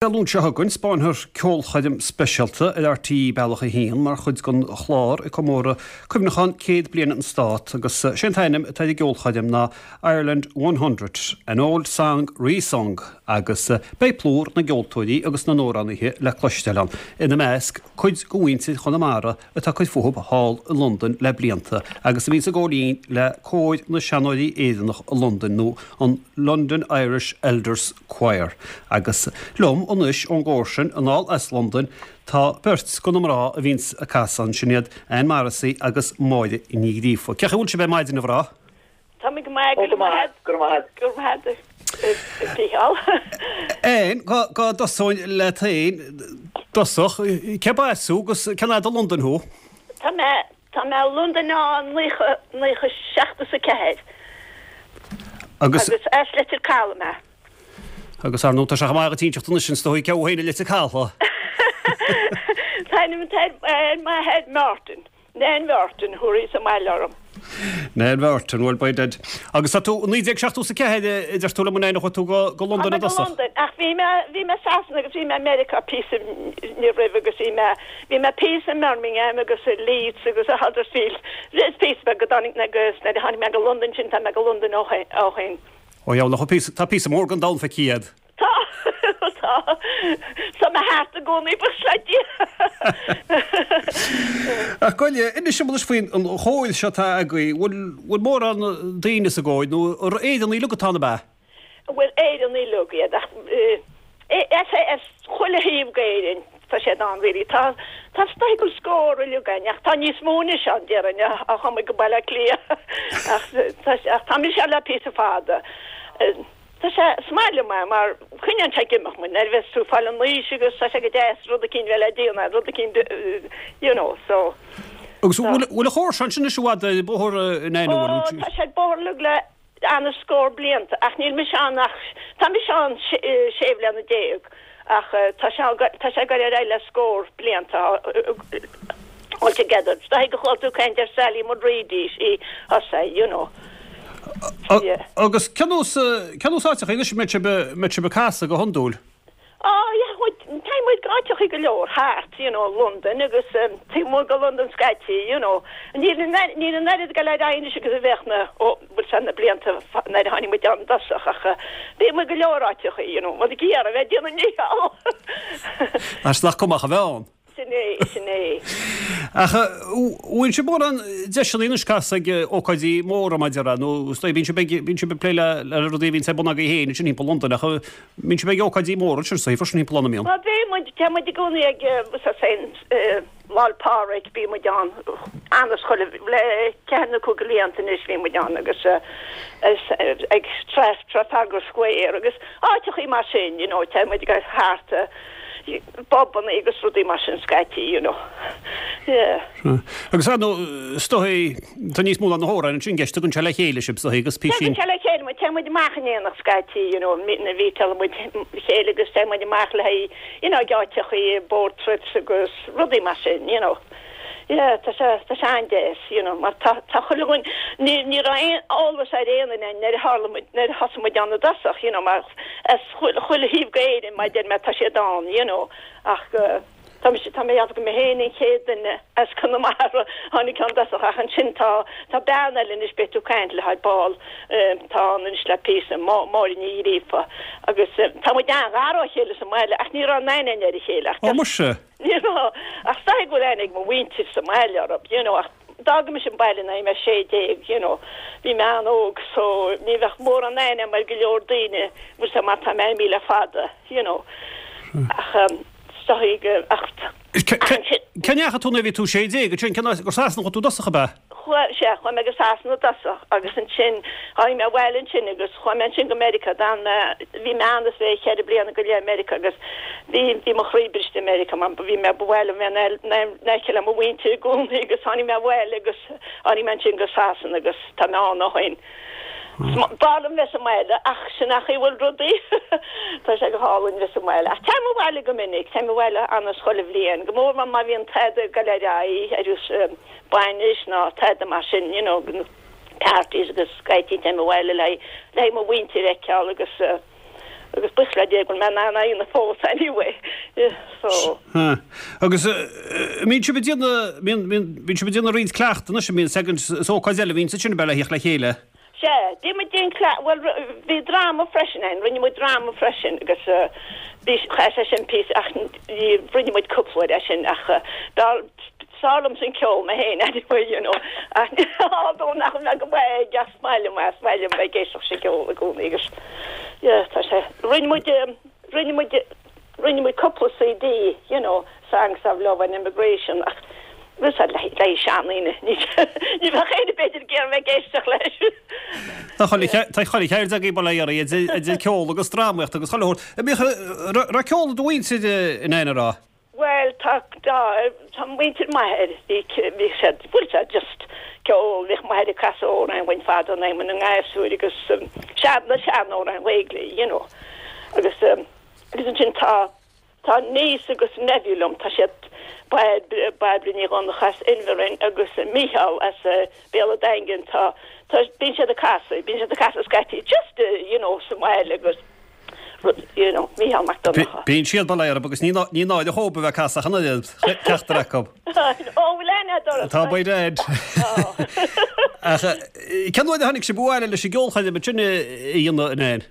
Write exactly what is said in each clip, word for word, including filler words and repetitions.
Dé Luain seo chugainn, 'spáinfear ceolchoirm speisialta ar R T E Bealach a hAon mar chuid den chlár ag comóradh cuimhneachán céad bliain an Stát, agus sé an t-ainm atá ar an gceolchoirm ná Ireland one hundred, an Old Song Resung, agus beidh plúr na gceoltóirí agus na n-amhránaithe le cloisteáil ann, ina measc cuid de mhuintir Chonamara atá ag cur fúthu thall i Londain le blianta agus a bhíonns ag gabháil fhoinn le Cór na Seanóirí Éireannach i Londain, nó an London Irish Elders Choir. Agus liom anois ón gcór sin anall as Londain tá beirt de na mná a bhíonns ag casadh ansin, iad Ann Morrissey agus Máire Ní Ghríofa. Cén chaoi a bhfuil sibh ar maidin, a mhná? Tá mé go maith. Go maith, go maith. Go maith, Mícheál. Ann, go dtosóinn leat féin i dtosach, cérb as thú agus cén fhad i Londain thú? Tá mé tá mé i Londain ó naocha naocha seachtó a ceathair. Agus Agus as Leitir Caladh mé. Agus ar ndóigh tá sé chomh maith agat inseacht anois is dóigh cé thú féin i Leitir Caladh. Tá ar m'athair Martin, Nan Martin thuí sa mbaile orm. Nan Martin, well by dead. Agus tá tú naoi déag seachtó a ceathair, a deir tú liom, a Nan, tú go go Londain i dtosach. London, ach bhí mé bhí mé Sasana agus bhí mé America píosa ní roimh, agus bhí mé bhí mé píosa i Birmingham agus i Leeds agus i Huddersfield. Is píosa go dtáinig agus nuair a tháinig mé go London sin, tá mé go London ó ó shin. Ó yeah, nach píosa tá píosa mór den domhan feicthe agat. Tá tá Tá mé thart i gcónaí, buíochas le Dia. Ach gabh i leith, inis dom anois faoin an chór seo atá agaibh, bhfuil bhfuil mórán daoine sa gcór nó Éireannaigh uilig atá ann, ab ea? Bhfuil, Éireannaigh uilig iad, ach as chuile thaobh d'Éirinn tá siad ann really. Tá tá is dóigh go bhfuil scór uilig againn, ach tá níos mó anois ann, déarfainn, ó chuaigh muid go Baile Átha Cliath, ach ach tá mise le píosa fada. Tá sé is maith liom é mar coinníonn sé ag imeacht muid nuair a bheas tú ag fáil in aois, agus tá sé go deas rud eicínt bheith le déanamh, rud eicínt you know so. Agus bhfuil bhfuil an chór seo ansin anois i bhfad ar bóthar in Ó, tá sé ar bóthar uilig le an-scór blianta, ach níl mise ann ach tá mise ann sé bliana déag, ach tá sé tá sé ag dul ar aghaidh le scór blianta altogether. Is dóigh go chuala tú caint ar Sally Mulready, sí thosaigh you know. Yeah. Agus cén nós cén nós áiteacha anois a mbeidh sibh mbeidh sibh ag casadh go hiondúil? Oh yeah, tá muid go áiteacha go leor thart, you know, London agus um, taobh amuigh de London scaití, you know. Níl níl an oiread ag dul ar aghaidh anois agus a bheadh na ó bhfuil sé na blianta nuair a tháinig muid ann i dtosach, ach uh, bhí muid go leor áiteacha, you know, muid ag iarraidh bheith déanamh níall. As nach cumach a bheith ann. Sin é, sin é. Ach bhfuil sibh mórán deiseanna anois casadh ag ócáidí móra maidir nó bíonn sibh bíonn sibh ag plé le le rudaí a bhíonn ar bun agaibh féin sin thimpeall Londain, ach bíonn sibh ag ócáidí móra sin sa freisin thimpeall ann, mbíonn? Well, bhí muid tá muid i gcónaí ag sa sein Lá 'le Pádraig, bhí muid ann an-chuile le ceathair nó cúig blianta anois, bhí muid ann agus ag Trafalgar Square agus áiteachaí mar sin, you know, tá muid ag thart pubanna agus rudaí mar sin scaití, you know. Yeah. Agus nó stoi tá níos mó ná na hamhráin sin i gceist, tugann sé le chéile sibh sa agus písín. Tugann sé le chéile muid, tá muid amach in éineacht scaití, you know, na bhí muid chéile agus tá muid amach le you know, áiteachaí, boat trips agus rudaí mar sin, you know. Yeah, tá sé tá sé an-deas, you know, mar tá tá chuile dhuine ní ní raibh aon eolas ar aon duine nuair a tharla muid nuair a thosaigh muid ann i dtosach, you know, mar as chuile chuile thaobh d'Éirinn, mar deir mé, tá siad ann, you know, ach uh, tá mé tá mé go mé féin an chéad duine as Conamara tháinig ann i dtosach, ach ansin tá tá bean eile anois, beidh tú caint le haghaidh ball, tá an anois le píosa, Máire Ní Ghríofa, agus tá muid an-ghar dá chéile sa mbaile, ach ní raibh aon aithne ar a chéile ach Ó muise. Ní raibh, ach sa go bhfuil ag mo mhuintir sa mbaile orthu, you know, ach d'fhág mise an baile nuair mé sé déag, you know, bhí mé an-óg, so ní bheadh mórán aithne mar go leor daoine bhfuil mar tá mé imithe le fada, you know. Ach um, stoigh ach Cén ndeachaigh tú nuair a bhí tú sé déag, sin cén gur Sasana chuaigh tú i dtosach, ab ea? Chuaigh sé chuaigh mé go Sasana i dtosach, agus ansin tháinig mé abhaile ansin agus chuaigh mé ansin go Meiriceá. Dan bhí mé ann is bhí ceithre bliana go leith Meiriceá, agus bhí bhí mo chroí briste Meiriceá mar bhí mé bhile mé na le mo mhuintir i gcónaí, agus tháinig mé abhaile agus tháinig mé ansin go Sasana agus tá mé ann ó shin. B'áil liom bheith sa mbaile, ach sin nach bhfuil rudaí, tá sé go hálainn bheith sa mbaile. Ach téim abhaile go minic, téim abhaile an-chuile bhliain, go mór má bhíonn tada ag dul ar aghaidh ar bainis ná tada mar sin, you know, parties agus scaití téim abhaile le le mo mhuintir a fheiceáil agus uh, Agus buíochas le Dia go bhfuil mé in ann é a dhéanamh fós anyway. Yeah, so. Ha. Agus mbíonn sibh ag déanamh, mbíonn, mbíonn, bíonn sibh ag déanamh roinnt cleachtadh anois, mbíonn seagan, is ócáid eile a bhíonn ansin ab ea le theacht le chéile? Sea, bhí muid ag déanamh, bhuel, bhí dráma freisin ann, rinne muid dráma freisin agus bhí, chaith sé sin píosa ach ní, rinne muid cúpla uair é sin ach b'fhearr, b'fhearr liomsa an ceol mé féin anyway, you know, ach although nach mbeadh go maith ag ach is maith liom é, is maith liom bheith ag éisteacht leis an gceol i gcónaí agus yeah, tá sé, rinne muid, rinne muid, Rinne muid cúpla CD, you know, Songs of Love and Immigration ach bhí siad le le seandaoine, ní ní bheadh éinne b'fhéidir ag iarraidh bheith ag éisteacht leis. Tá chuile tá chuile cheird agaibh bail ó Dhia oraibh, idir idir ceol agus drámaíocht agus chuile shórt. An mbíodh raibh ceol i do mhuintir in aon a raibh? Bhuel tá tá tá muintir m'athair bhí bhí siad bhuel siad just ceol bhíodh m'athair ag casadh amhráin dhúinn fadó nuair a bhí muid ina ngasúir agus sean na sean-amhráin Ghaeilge you know agus Agus ansin tá, tá niece agus nephew liom, tá siad, Bairbre Ní Dhonncha as Inbhir agus Mícheál as Béal an Daingin, tá, tá, bíonn siad ag casadh, bíonn siad ag casadh scaití just, you know, sa mbaile agus rud, you know, Mícheál Mac Donncha. Bíonn siad, bail ó Dhia orthu agus ní, ní náire dhóibh a bheith ag casadh ach an oiread, ceachtar acu. Ó, bhfuil aithne agat orthu? Tá, by dad. Ach cén uair a tháinig sibh abhaile leis an gceolchoirm ansin a dhéanamh, a Nan?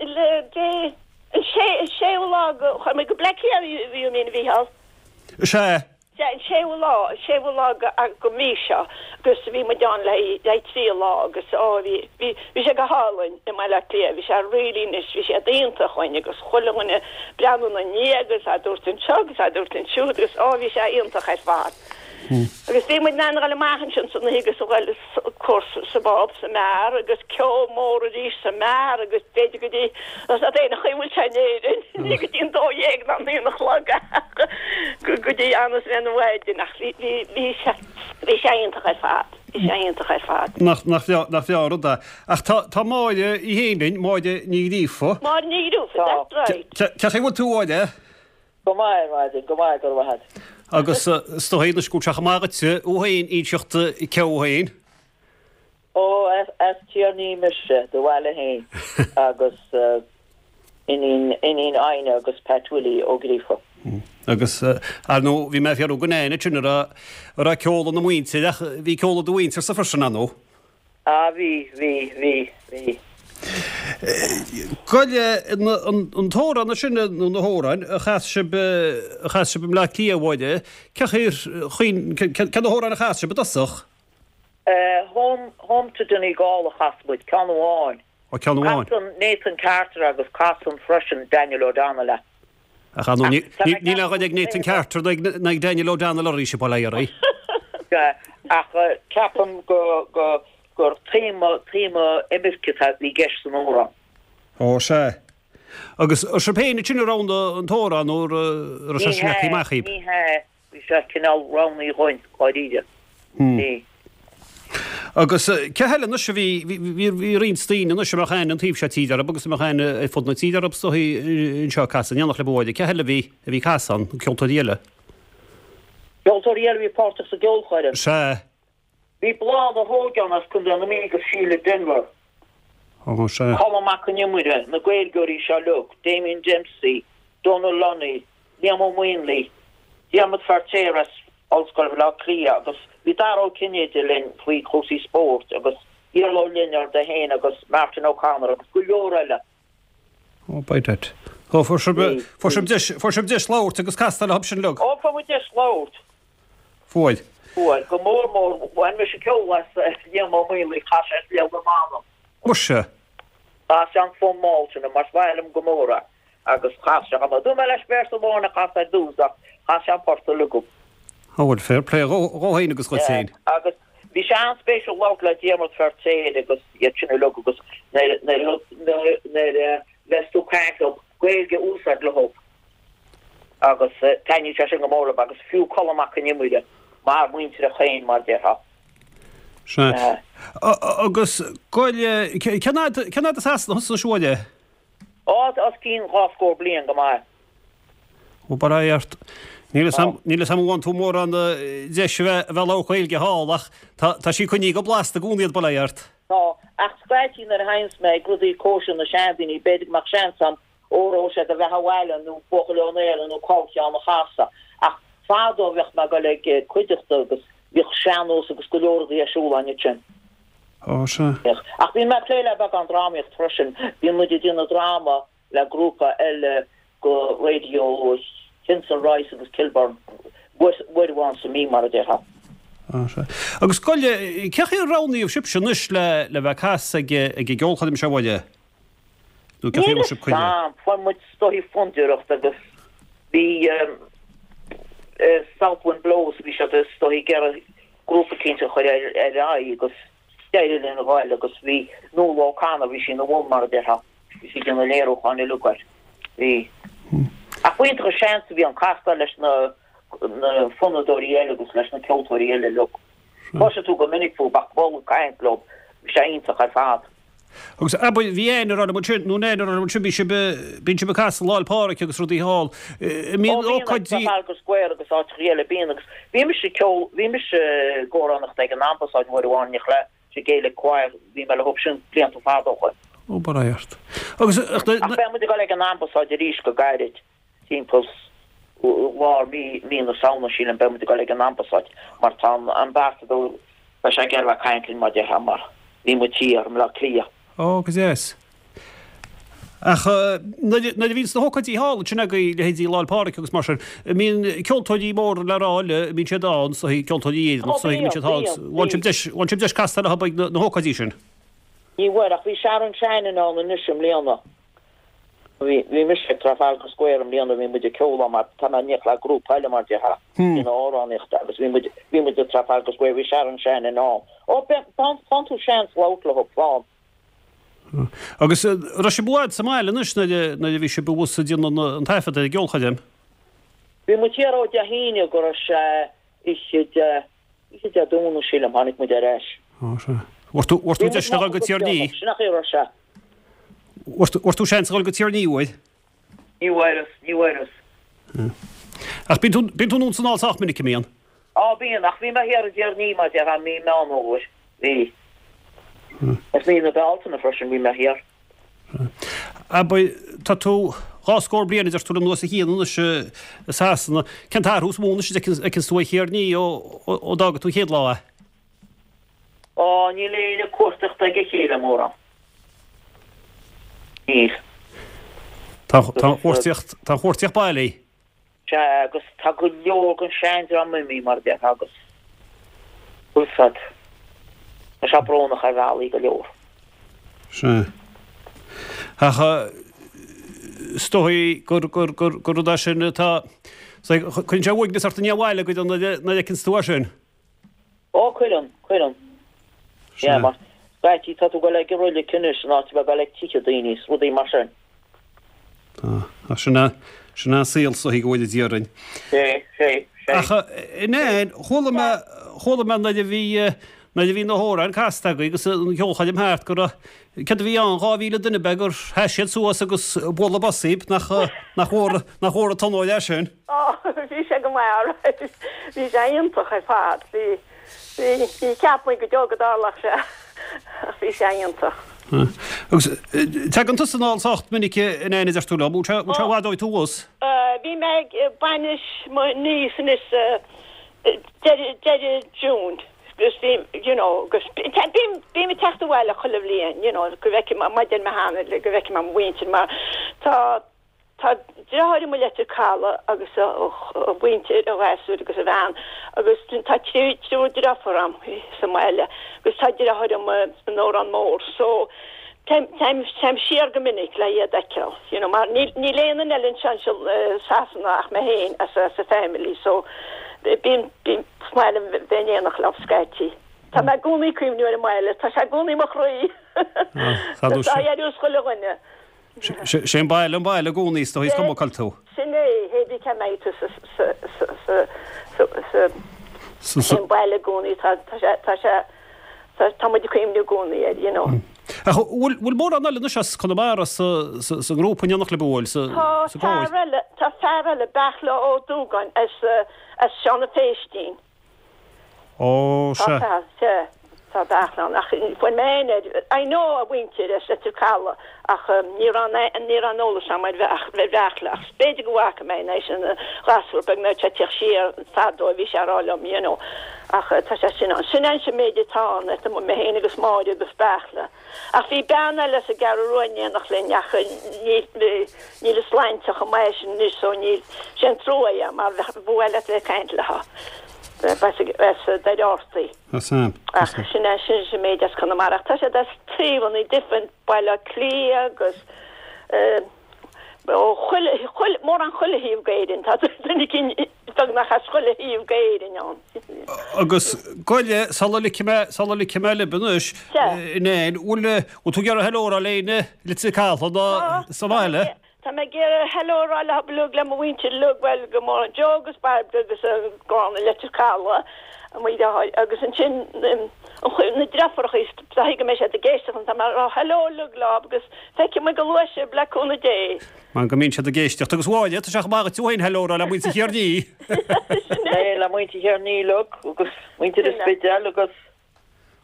Le dé. An séú lá go, chuaigh muid go Bleá Cliath you mean a Mhícheál? Sea. Sea, an séú lá, an séú lá go, go mí seo agus bhí muid ann le haghaidh trí lá agus ó bhí, bhí, bhí sé go hálainn i mBaile Átha Cliath, bhí sé really nice, bhí siad iontach chugainn agus chuile dhuine ag breathnú ina ndiaidh agus á dtabhairt anseo agus á dtabhairt ansiúd agus ó bhí sé iontach ar fad. Agus bhí muid in ann a dhul amach ansin san oíche agus a dhul course sa bpub, sa mbeár agus ceol mór arís sa mbeár agus b'fhéidir go dtí, tá a fhios agat an chaoi a bhfuil sé in Éirinn, ní go dtí an dó dhéag ná an aon a chlog ach go dtí an is an mhaidin ach bhí, bhí, bhí sé, bhí sé iontach ar fad, bhí sé iontach ar fad. Nach, nach bhreá, nach bhreá an rud é. Ach tá, tá Máire í féin linn, Máire Ní Ghríofa. Máire Ní Ghríofa, that's right. Cén chaoi a bhfuil tú, a Mháire? Go maith ar maidin, go maith, go raibh maith agat. Agus is dóigh anois go bhfuil sé chomh maith dhuitse thú féin inseacht cé thú féin. Ó, as Tír an Fhia mise, do bhaile féin, agus iníon, iníon Aghna agus Pat Willie Ó Gríofa. Agus, ar ndóigh, bhí mé ag fiafraí den Nan ansin an raibh, an raibh ceol ina muintir ach bhí ceol i do mhuintirse freisin, ar ndóigh. Ah, bhí, bhí, bhí, bhí. Gabh i leith, an t-amhrán sin nó na hamhráin a chas sibh, a chas sibh i mBleá Cliath, a Mháire, cé chaoi, cé na hamhráin a chas sibh i dtosach? Home, Home to Donegal a chas muid, ceann amháin. Ó, ceann amháin. Casann Nathan Carter agus casann freisin Daniel O'Donnell é. Ach ar ndóigh, níl aon ghoid ag Nathan Carter ná ag Daniel O'Donnell arís, bail ó Dhia oraibh. Ach ceapaim gur téama, téama imirce atá i gceist san amhrán. Ó, sea. Agus sibh féin ansin a roghnaigh an t-amhrán nó raibh sé sin leagtha amach dhaoibh? Ní hea, bhí sé cineál roghnaithe dhúinn, dháiríre. Bhí. Agus cé heile anois a bhí, bhí, bhí roinnt daoine anois a mbeadh aithne an taobh seo tíre orthu agus a mbeadh aithne ar fud na tíre orthu is dóichí anseo ag casadh in éineacht libh a Mháire. Cé heile a bhí, a bhí ag casadh ann, ceoltóirí eile? Ceoltóirí eile a bhí páirteach sa gceolchoirm. Sea. Bhí Bláth na hÓige ann as Contae na Mí agus Síle Denvir. Ó, sea. Colm Mac Con Iomaire, na Gaeilgeoirí seo uilig, Damien Dempsey, Donal Lunny, Liam Ó Maonlaí, Diarmaid Feirtéar as Ollscoil Bhaile Átha Cliath agus bhí Dara Ó Cinnéide linn faoi chúrsaí spóirt agus Iarla Ó Lionáird é féin agus Martin O'Connor agus go leor eile. Ó, by dad. Ó, fuair sibh, fuair sibh deis, fuair sibh deis labhairt agus castáil leo sin uilig. Ó, fuair muid deis labhairt. Fuair. Fuair. Go mór mór, bhain mise ceol as Liam Ó Maonlaí, chas sé Le Do Mh'anam. Muise. Chas sé an Fonn mall sin, mar is maith liom go mór é. Agus chas sé chomh maith. Dúirt mé leis véarsa amháin a chasadh ar dtús ach chas sé an port uilig dhom. Ó bhuel, fair play dhó féin agus dhuit féin. Agus bhí sé an-spéisiúil labhairt le Diarmaid Feirtéar agus iad sin uilig agus nuair a bheas tú ag caint leo, Gaeilge a úsáid leo agus taitníonn sé sin go mór leo agus fiú Colm Mac Con Iomaire mar muintir féin mar déarfá. Sea. Agus gabh i leith, cén fhad as Sasana thusa anois a Mháire? Ó, os cionn dhá scór bliain go maith. Ó, bail ó Dhia ort. Níl fhios a'm, níl fhios a'm an bhfaigheann tú mórán deis a bheith, a bheith ag labhairt Gaeilge thall ach tá, tá sí coinnithe go blasta i gcónaí agat, bail ó Dhia ort. Tá, ach scaití nuair a théanns mé ag rudaí cóisir na seandaoine, b'fhéidir go mbeadh seans agam Óró Sé do Bheatha 'Bhaile nó Buachaill Ó Néill nó Ceol Cheann a chasadh. Ach fadó bheadh mé ag dul ag cuideachta agus bhíodh sean-nós agus go leor rudaí ar siúl ann ansin. Ó, sea. Bhíodh. Ach bíonn mé ag plé le beagán drámaíocht freisin. Bíonn muid ag déanamh dráma le grúpa eile go Radio Kinsale Rois agus Kilburn uair amháin sa mí mar a déarfá. Ó, sea. Agus gabh i leith, cén chaoi a roghnaíodh sibhse anois le le bheith ag casadh ag ag an gceolchoirm seo a Mháire? Nó cén chaoi a Níl bhfuair sibh fhios cuireadh? a'm. Fuair muid is dóichí fundúireacht agus bhí South Wind Blows, bhí siad is dóichí ag iarraidh grúpa eicínt a chur ar ar aghaidh agus d'éirigh linn a ghoil agus bhí Nuala O'Connor, bhí sí ina bhun mar a déarfá, bhí sí ag déanamh léiriúcháin uilig air. Bhí. Ach b'iontach an seans a bhí ann castáil leis na na fonnadóirí eile agus leis na ceoltóirí eile uilig. Cloiseann tú go minic fúthu ach bualadh caint leo, bhí sé iontach ar fad. Agus abair, bhí Anne ag rá liom ansin, nó Nan ag rá liom ansin, bhí sibh, bíonn sibh ag casadh Lá 'le Pádraig agus rudaí thall. Ó Mbíonn bíonn ag ócáidí. Trafalgar Square agus áiteachaí eile, bíonn agus bhí mise ag ceol, bhí mise ag amhránaíocht ag an Ambasáid uair amháin, ní le sa Gaelic Choir, bhí mé leo sin blianta fada ó shin. Ó, bail ort. Agus ach na, Ach na, beidh muid ag dul ag an Ambasáid arís go gairid, timpeall lár mí, mí na Samhna sílim, beidh muid ag dul ag an Ambasáid mar tá an Ambasadóir, tá sé ag iarraidh bheith ag caint linn mar a déarfá mar bhí muid thiar i mBleá Cliath. Ó, go deas. Ach nuair a bhíonns na hócáidí thall ansin agaibh, leithéidí Lá 'le Pádraig agus mar sin, an mbíonn ceoltóirí móra le rá eile, an mbíonn siad ann, so ceoltóirí Ó Éireannach, so bíonn, mbíonn siad thall, bíonn, bhfuil sibh bíonn. deis, bhfuil sibh deis castáil leo ag na hócáidí sin? Ní bhfuair, ach bhí Sharon Shannon ann anois i mbliana. Bhí, bhí mise ag Trafalgar Square i mbliana, bhí muid ag ceol ann mar tá mé in éineacht le grúpa eile mar déarfá, ina amhránaíocht agus bhí muid, bhí muid ag Trafalgar Square, bhí Sharon Shannon ann. Ó, faigheann, faigheann tú seans labhairt leo, faigheann. Agus raibh sibh i bhfad sa mbaile anois nuair a nuair a bhí sibh abhus ag déanamh an taifead ar an gceolchoirm? Bhí muid thiar ó Dé hAoine go raibh sé oíche Dé, oíche Dé Domhnaigh sílim, tháinig muid ar ais. Ó sea. Bhfuair tú, bhfuair tú Bhí muid deis a moch dhul go agus Tír an Fhia? déanach, sin an chaoi a raibh sé. Bhfuair tú, bhfuair tú seans a dhul go Tír an Fhia uair? Ní bhfuaireas, ní bhfuaireas. Ach bíonn tú, bíonn tú anonn 's anall sách minic, an mbíonn? Á bíonn, ach bhí mé thiar i dTír an Fhia mar a déarfá mí Meán Fhómhair. Bhí. Is mí na Bealtaine freisin bhí mé thiar. Abair, tá tú dhá scór bliain a deir tú anuas a Chian anois i Sasana. Cén t-athrú is mó anois a fheiceanns tú ar Thír an Fhia ó ó d'fhága tú an chéad lá é? Á, níl éinne ag cuartaíocht ag a chéile mórán. Níl. Tá tá an chuartaíocht tá an chuartaíocht bailí. Sea, agus tá go leor den seandream imithe, mar a déarfá, agus bhfuil 's a'd, tá sé brónach ar bhealaí go leor. Sea. Ach is dóigh gur gur gur gur rud é sin atá, cuireann sé uaigneas ort i ndiaidh abhaile go dtí nuair a fheiceanns tú é sin. Ó, cuireann, cuireann. Sea, mar scaití tá tú ag dul ag an roilig anois in áit a bheith ag dul ag tithe daoine is rudaí mar sin. Tá, ach sin é, sin é an saol so go bhfuil Dia orainn. Sé, sé, sé. Ach in chuala mé, chuala mé nuair a bhí, nuair a bhí na hamhráin casta agaibh agus an cheolchoirm thart go raibh, céard a bhí ann, dhá mhíle duine b'fhéidir gur sheas siad suas agus bualadh bos daoibh, nach, nach mhór, nach mhór an t-onóir é sin. Ó, bhí sé go maith alright. Bhí sé iontach ar fad. Bhí, bhí, ní cheap muid go deo go dtarlódh sé ach bhí sé iontach. Agus tagann tusa anall sách minic a Nan a deir tú liom, bhfuil sé, bhfuil sé i bhfad ó bhí tú abhus? Bhí mé ag bainis mo niece anois deireadh, deireadh June agus bhí, you know, agus bím, bím ag teacht abhaile chuile bhliain, you know, go bhfeicfidh mé, mar a deir mé cheana, go bhfeicfidh mé mo mhuintir mar tá, Tá deartháir agam i Leitir Caladh agus a mhuintir, a ghasúir agus a bhean agus tá triúr deirfiúr agam sa mbaile agus tá deartháir agam in Órán Mór so téim téim siar go minic le iad a fheiceáil you know mar níl níl aon duine eile anseo anseo i Sasana ach mé féin as as a family so bím bím is maith liom bheith in éineacht leo scaití. Tá mé i gcónaí ag cuimhniú ar an mbaile, tá sé i gcónaí i mo chroí. Tá Tá ar fhios chuile dhuine. Sé an baile an baile i gcónaí is dóigh is cuma cá bhfuil tú. Sin é, hé bí cá mbeidh tú sa sa sa sa sa sa Sa sé an baile i gcónaí tá tá sé tá sé tá tá muid ag cuimhniú i gcónaí air, you know. Ach bhfuil bhfuil mórán eile anois as Conamara sa sa sa ngrúpa in éineacht libh an bhfuil sa Tá sa gcór? fear eile tá fear eile Beartla Ó Dúgáin as as Seán na Féistín. Ó Tá sea. fear sea Tá Beartla ann ach fuair mé aon air, I know a mhuintir as Leitir Caladh ach ní raibh ní raibh an eolas agam ar Bheartla ach b'fhéidir go bhfaca mé é sin gasúr beag nuair atá teacht siar fadó a bhí sé a rá liom you know ach tá sé sin ann. Sin an sin méid atá ann tá mé féin agus Máire agus Beartla. Ach bhí bean eile sa gCeathrú Rua in éineacht linn ach níl a sláinte chomh maith sin anois so níl sin trua é mar ba mhaith leat bheith ag caint léi. As Doire Artaí. Ach sin é sin sin méid as Conamara. Tá siad as taobhanna different Baile Átha Cliath agus ó chuile chuile mórán chuile thaobh d'Éirinn. Tá duine éigin beagnach as chuile thaobh d'Éirinn ann. Agus goile sula ligfidh mé sula ligfidh mé libh anois in aon bhfuil bhfuil tú ag iarraidh hello a rá le éinne Leitir Caladh nó sa bhaile? Tá mé ag iarraidh hello a rá le uilig le mo mhuintir uilig bhuel go mór Joe agus Barbara agus Gráinne Leitir Caladh mo dheartháir agus ansin na deirfiúracha is dóigh go mbeidh siad ag éisteacht tá mé ag rá hello uilig leo agus feicfidh muid go luath sibh le cúnamh Dé. Mar go mbíonn siad ag éisteacht agus Mháire tá sé chomh maith duit féin hello a rá le muintir Thír an Fhia. Le muintir Thír an Fhia uilig agus muintir an Spidéil agus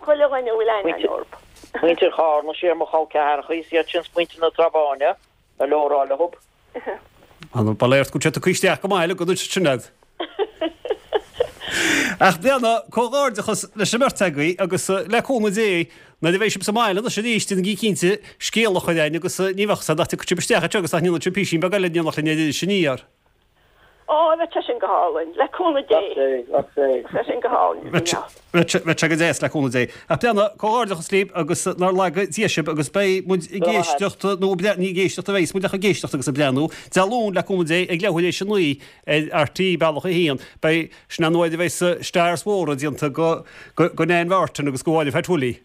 chuile dhuine a bhfuil aithne orthu. Muintir Charna siar mo chol ceathracha is iad sin muintir na Trá Báine. Hello a rá leo. An ba léir go sé cuiisteach go maith go sinad. Ach déana comhghairdeachas leis an mbeirt agaibh agus le cúnamh Dé nuair a bheidh sibh sa mbaile anois arís déanaigí cinnte scéal a chur chugainn agus ní bheadh sé nach dtiocfaidh sibh isteach anseo agus nach ndéanfaidh sibh písín beag eile in éineacht linn ar Iris Aniar. Ó, bheadh sé sin go hálainn, le cúnamh Dé. Bheadh sé sin go hálainn. Bheadh sé go deas le cúnamh Dé. Ach déana comhghairdeachas libh agus nár laga Dia sibh agus beidh muid ag éisteacht nó ní ag éisteacht a bheas muid ach ag éisteacht agus ag breathnú Dé Luain le cúnamh Dé ag leathuair théis a naoi ar RTÉ Bealach a haon. Beidh sin an uair a bheas stars mhóra déanta go go Nan Mhartin agus go Mháire Phat Willie.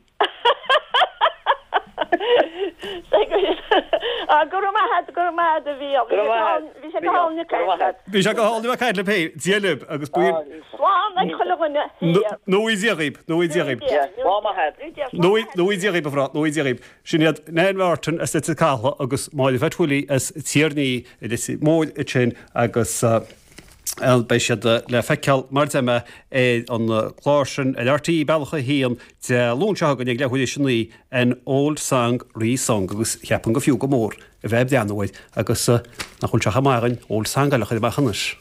Go raibh maith agat, go raibh maith agat a Mhícheál. Bhí sé go hálainn ag caint leat. Bhí sé go hálainn ag caint libh féin. Dia libh agus buíon. Slán ag chuile dhuine thiar. Nó Dia dhaoibh, nó Dia dhaoibh. Slán maith agat. Nó Dia dhaoibh a mhná, nó Dia dhaoibh. Sin iad Nan Martin as Leitir Caladh agus Máire Phat Willie as Tír an Fhia i Leitir Móir ansin agus beidh siad le feiceáil mar a deir mé ar an gclár sin ar RTÉ Bealach a haon Dé Luain seo chugainn ag leathuair théis a naoi An Old Song Re-Sung agus cheapfainn gur fiú go mór a bheith ag breathnú air agus nach bhfuil sé chomh maith againn Old Song eile a chur amach anois.